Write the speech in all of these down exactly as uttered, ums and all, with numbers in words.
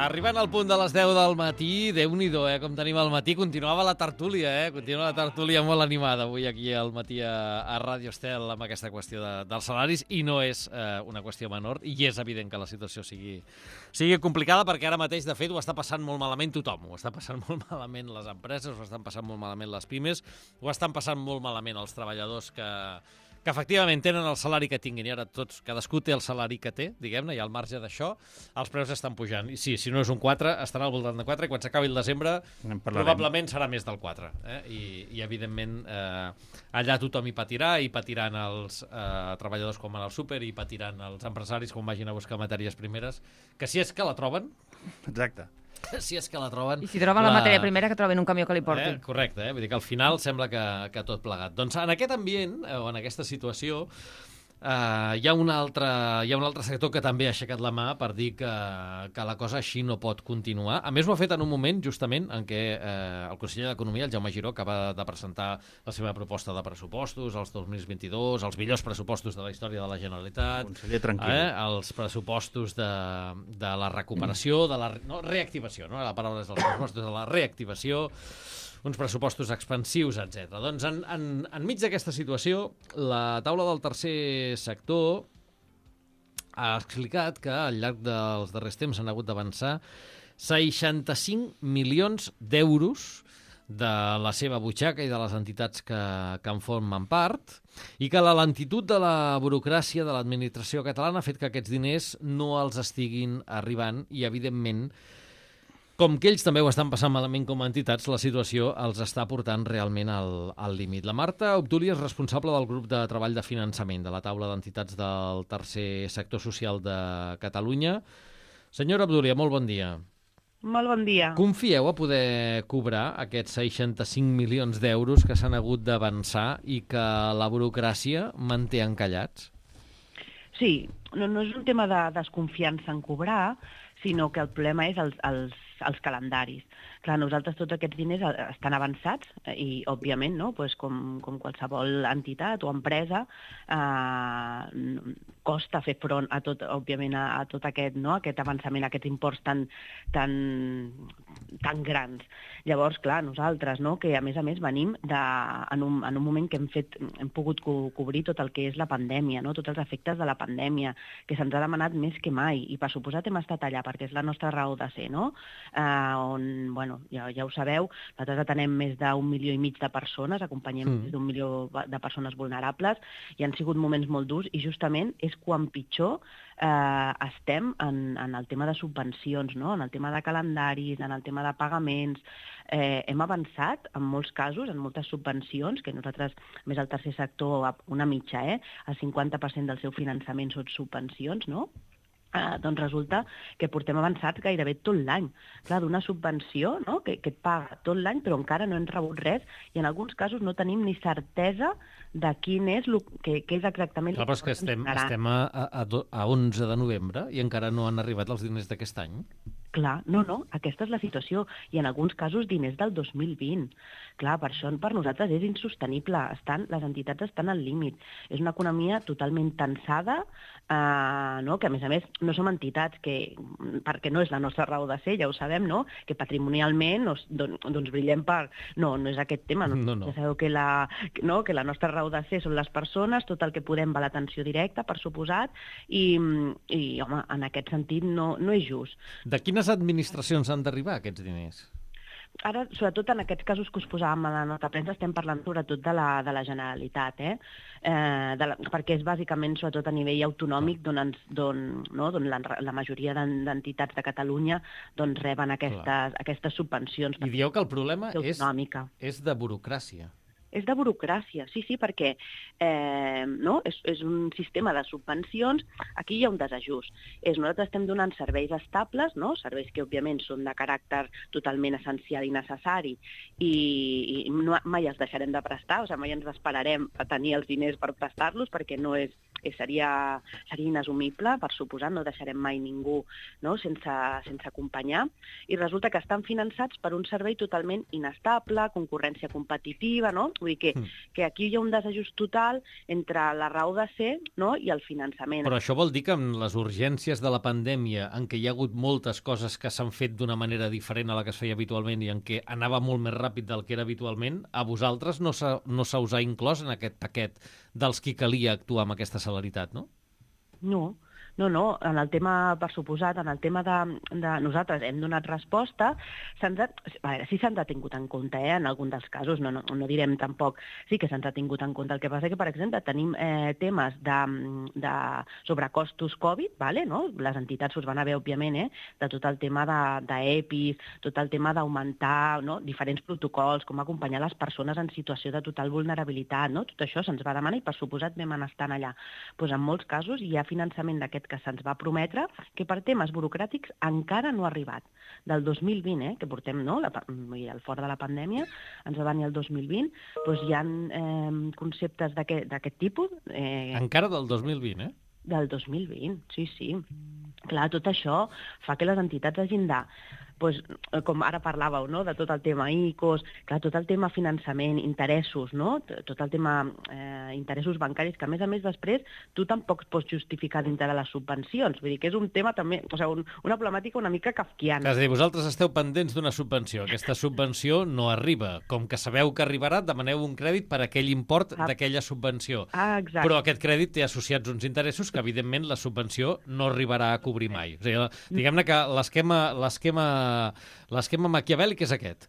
Arribant al punt de les deu del matí, Déu-n'hi-do, eh, com tenim al matí. Continuava la tertúlia, eh? Continua la tertúlia molt animada avui aquí al matí a, a Ràdio Estel amb aquesta qüestió de, dels salaris, i no és eh, una qüestió menor, i és evident que la situació sigui, sigui complicada, perquè ara mateix, de fet, ho està passant molt malament tothom. Ho està passant molt malament les empreses, ho estan passant molt malament les pimes, ho estan passant molt malament els treballadors que... que efectivament tenen el salari que tinguin, i ara tots, cadascú té el salari que té, diguem-ne, i al marge d'això, els preus estan pujant. I sí, si no és un quatre, estarà al voltant de quatre, i quan s'acabi el desembre, probablement serà més del quatre. Eh? I, I, evidentment, eh, allà tothom hi patirà, i patiran els eh, treballadors quan van al súper, i patiran els empresaris quan vagin a buscar matèries primeres, que si és que la troben... Exacte. Si és que la troben... I si troben la, la matèria primera, que troben un camió que li porti. Eh? Correcte, eh? Vull dir que al final sembla que, que tot plegat. Doncs en aquest ambient, o en aquesta situació, Uh, hi ha un altre, hi ha un altre sector que també ha aixecat la mà per dir que, que la cosa així no pot continuar. A més, ho ha fet en un moment, justament, en què eh, el conseller d'Economia, el Jaume Giró, acaba de presentar la seva proposta de pressupostos, els dos mil vint-i-dos, els millors pressupostos de la història de la Generalitat, conseller, tranquil. Eh, els pressupostos de, de la recuperació, de la no, reactivació, no? La paraula és els pressupostos de la reactivació, uns pressupostos expansius, etcètera. Doncs en, en, enmig d'aquesta situació, la taula del tercer sector ha explicat que al llarg dels darrers temps s'han hagut d'avançar seixanta-cinc milions d'euros de la seva butxaca i de les entitats que, que en formen part, i que la lentitud de la burocràcia de l'administració catalana ha fet que aquests diners no els estiguin arribant, i evidentment, com que ells també ho estan passant malament com a entitats, la situació els està portant realment al, al límit. La Marta Obduli és responsable del grup de treball de finançament de la taula d'entitats del tercer sector social de Catalunya. Senyora Obduli, molt bon dia. Molt bon dia. Confieu a poder cobrar aquests seixanta-cinc milions d'euros que s'han hagut d'avançar i que la burocràcia manté encallats? Sí, no, no és un tema de desconfiança en cobrar, sinó que el problema és els, els, els calendaris. Clar, nosaltres tots aquests diners estan avançats i, òbviament, no? Pues com, com qualsevol entitat o empresa, eh, costa fer front a tot, òbviament, a, a tot aquest, no? Aquest avançament, aquests imports tan, tan, tan grans. Llavors, clar, nosaltres, no? Que a més a més venim de, en, un, en un moment que hem, fet, hem pogut co cobrir tot el que és la pandèmia, no? Tots els efectes de la pandèmia, que se'ns ha demanat més que mai, i per suposat hem estat allà, perquè és la nostra raó de ser, no? Eh, on, bueno, ja, ja ho sabeu, nosaltres atenem més d'un milió i mig de persones, acompanyem mm. més d'un milió de persones vulnerables, i han sigut moments molt durs, i justament és quan pitjor eh, estem en, en el tema de subvencions, no? En el tema de calendaris, en el tema de pagaments. Eh, hem avançat en molts casos, en moltes subvencions, que nosaltres, més al tercer sector, una mitja, eh? El cinquanta per cent del seu finançament són subvencions, no? Uh, doncs resulta que portem avançat gairebé tot l'any. Clar, d'una subvenció, no? que, que et paga tot l'any, però encara no hem rebut res, i en alguns casos no tenim ni certesa de quin és, lo, que, que és exactament... Clar, però és que estem, estem a, a, a onze de novembre i encara no han arribat els diners d'aquest any. Clar, no, no, aquesta és la situació, i en alguns casos diners del dos mil vint. Clar, per això per nosaltres és insostenible, estan, les entitats estan al límit. És una economia totalment tensada, eh, no? Que a més a més no som entitats que, perquè no és la nostra raó de ser, ja ho sabem, no? Que patrimonialment doncs, doncs brillem per... No, no és aquest tema, no, no, no. Ja sabeu que la, no? que la nostra raó de ser són les persones, tot el que podem va a l'atenció directa, per suposat, i, i home, en aquest sentit no, no és just. De quines administracions han d'arribar aquests diners? Ara, sobretot en aquests casos que us posàvem a la nota premsa, estem parlant sobretot de la, de la Generalitat, eh? Eh, de la, perquè és bàsicament, sobretot a nivell autonòmic, d'on no? la, la majoria d'entitats de Catalunya doncs, reben aquestes, aquestes subvencions. I dieu que el problema és, és de burocràcia. És de burocràcia, sí, sí, perquè eh, no? és, és un sistema de subvencions, aquí hi ha un desajust. És, nosaltres estem donant serveis estables, no? Serveis que òbviament són de caràcter totalment essencial i necessari, i, i no, mai els deixarem de prestar, o sigui, mai ens esperarem a tenir els diners per prestar-los, perquè no és, que seria, seria inassumible, per suposar, no deixarem mai ningú, no? sense, sense acompanyar, i resulta que estan finançats per un servei totalment inestable, concurrència competitiva, no? Vull dir que, mm. que aquí hi ha un desajust total entre la raó de ser, no? i el finançament. Però això vol dir que amb les urgències de la pandèmia, en què hi ha hagut moltes coses que s'han fet d'una manera diferent a la que es feia habitualment i en què anava molt més ràpid del que era habitualment, a vosaltres no se, no se us ha inclòs en aquest paquet dels qui calia actuar amb aquesta celeritat, no? No, no, no. En el tema, per suposat, en el tema de, de nosaltres hem donat resposta, se'ns ha, a veure, sí se'ns ha tingut en compte, eh, en algun dels casos, no, no, no direm tampoc, sí que se'ns ha tingut en compte. El que passa que, per exemple, tenim eh, temes de, de sobrecostos Covid, vale, no? Les entitats us van haver, òbviament, eh, de tot el tema d'EPIs, de, tot el tema d'augmentar, no? diferents protocols, com acompanyar les persones en situació de total vulnerabilitat, no? Tot això se'ns va demanar i, per suposat, vam anar estant allà. Pues en molts casos hi ha finançament d'aquest que se'ns va prometre, que per temes burocràtics encara no ha arribat. Del dos mil vint, eh, que portem, no?, la, el fort de la pandèmia, ens va venir el dos mil vint, doncs hi ha eh, conceptes d'aquest tipus. Eh, encara del dos mil vint, eh? Del dos mil vint, sí, sí. Clar, tot això fa que les entitats hagin de, doncs, com ara parlàveu, no?, de tot el tema I C Os, clar, tot el tema finançament, interessos, no?, tot el tema eh, interessos bancaris, que a més a més després tu tampoc pots justificar dintre de les subvencions. Vull dir que és un tema també, o sigui, un, una problemàtica una mica kafkiana. És a dir, vosaltres esteu pendents d'una subvenció. Aquesta subvenció no arriba. Com que sabeu que arribarà, demaneu un crèdit per aquell import ah. d'aquella subvenció. Ah, exacte. Però aquest crèdit té associats uns interessos que, evidentment, la subvenció no arribarà a cobrir mai. O sigui, diguem-ne que l'esquema l'esquema l'esquema maquiavèlic és aquest.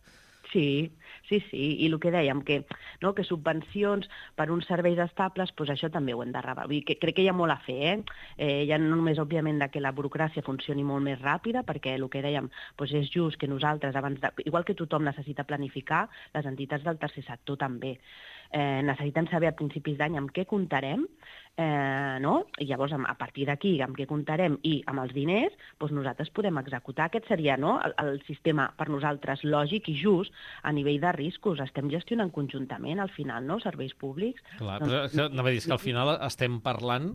Sí, sí, sí, i el que dèiem, que, no, que subvencions per uns serveis estables, doncs això també ho hem de rebar. Vull dir que crec que hi ha molt a fer, eh? eh ja no només, òbviament, de que la burocràcia funcioni molt més ràpida, perquè el que dèiem, doncs és just que nosaltres, abans de, igual que tothom necessita planificar, les entitats del tercer sector també. Eh, necessitem saber a principis d'any amb què comptarem, eh, no? I llavors a partir d'aquí amb què comptarem i amb els diners, doncs nosaltres podem executar. Aquest seria, no?, el, el sistema per nosaltres lògic i just a nivell de riscos. Estem gestionant conjuntament al final, no?, serveis públics. Clar, doncs... però no, dir que al final estem parlant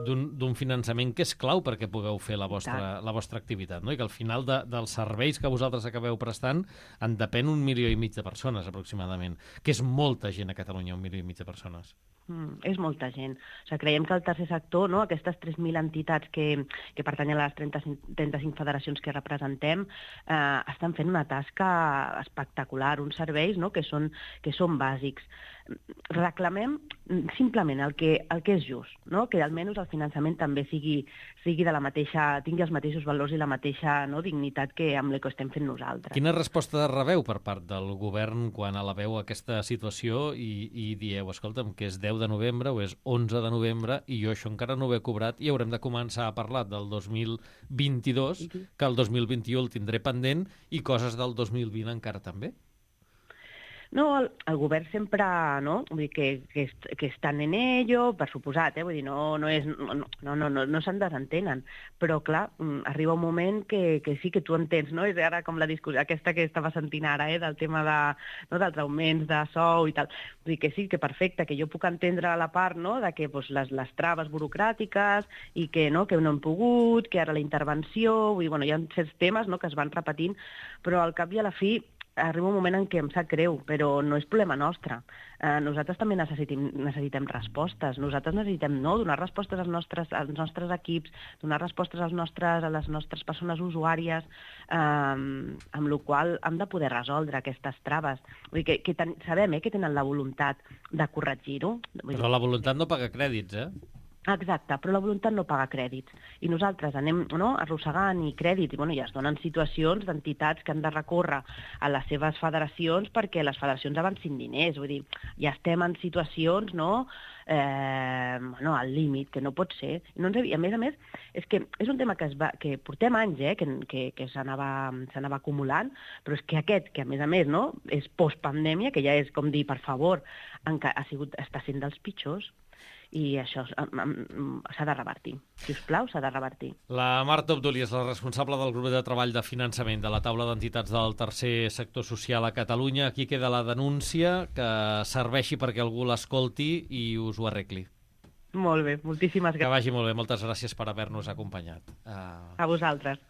d'un finançament que és clau perquè pugueu fer la vostra, la vostra activitat, no? I que al final de, dels serveis que vosaltres acabeu prestant en depèn un milió i mig de persones aproximadament, que és molta gent a Catalunya, un milió i mig de persones. Mm, és molta gent. O sigui, creiem que el tercer sector, no?, aquestes tres mil entitats que, que pertanyen a les trenta-cinc, trenta-cinc federacions que representem, eh, estan fent una tasca espectacular, uns serveis, no?, que són, que són bàsics. Reclamem simplement el que, el que és just, no?, que almenys el finançament també sigui, sigui de la mateixa, tingui els mateixos valors i la mateixa, no?, dignitat que amb la que estem fent nosaltres. Quina resposta rebeu per part del govern quan alabeu aquesta situació i, i dieu, escolta'm, que és deu de novembre o és onze de novembre i jo això encara no ho he cobrat i haurem de començar a parlar del dos mil vint-i-dos, que el dos mil vint-i-u el tindré pendent i coses del dos mil vint encara també? No, el, el govern sempre, no?, vull dir que, que, que estan en ello, per suposat, eh? Vull dir, no, no, és, no, no, no, no, no se'n desentenen, però clar, arriba un moment que, que sí que tu entens, no?, és ara com la discussió aquesta que estava sentint ara, eh?, del tema de, no?, dels augments de sou i tal, vull dir que sí, que perfecte, que jo puc entendre la part, no?, de que pues, les, les traves burocràtiques i que no, que no hem pogut, que ara la intervenció, vull dir, bueno, hi ha certs temes, no?, que es van repetint, però al cap i a la fi arriba un moment en què em sap greu, però no és problema nostre. Eh, nosaltres també necessitem, necessitem respostes. Nosaltres necessitem, no?, donar respostes als nostres, als nostres equips, donar respostes als nostres, a les nostres persones usuàries, eh, amb la qual hem de poder resoldre aquestes traves. Vull dir que, que ten, sabem eh, que tenen la voluntat de corregir-ho. Però la voluntat no paga crèdits, eh? Exacte, però la voluntat no paga crèdits. I nosaltres anem, no?, arrossegant i crèdits, i, bueno, ja es donen situacions d'entitats que han de recórrer a les seves federacions perquè les federacions avancin diners. Vull dir, ja estem en situacions, no?, eh, no, al límit, que no pot ser. I, no ens, I a més a més, és que és un tema que, es va, que portem anys, eh, que, que, que s'anava acumulant, però és que aquest, que a més a més, no?, és postpandèmia, que ja és com dir, per favor, ha sigut, està sent dels pitjors, i això s'ha de revertir. Si us plau, s'ha de revertir. La Marta Obduli és la responsable del grup de treball de finançament de la taula d'entitats del tercer sector social a Catalunya. Aquí queda la denúncia, que serveixi perquè algú l'escolti i us ho arregli. Molt bé, moltíssimes Que gràcies vagi molt bé. Moltes gràcies per haver-nos acompanyat. Uh... a vosaltres.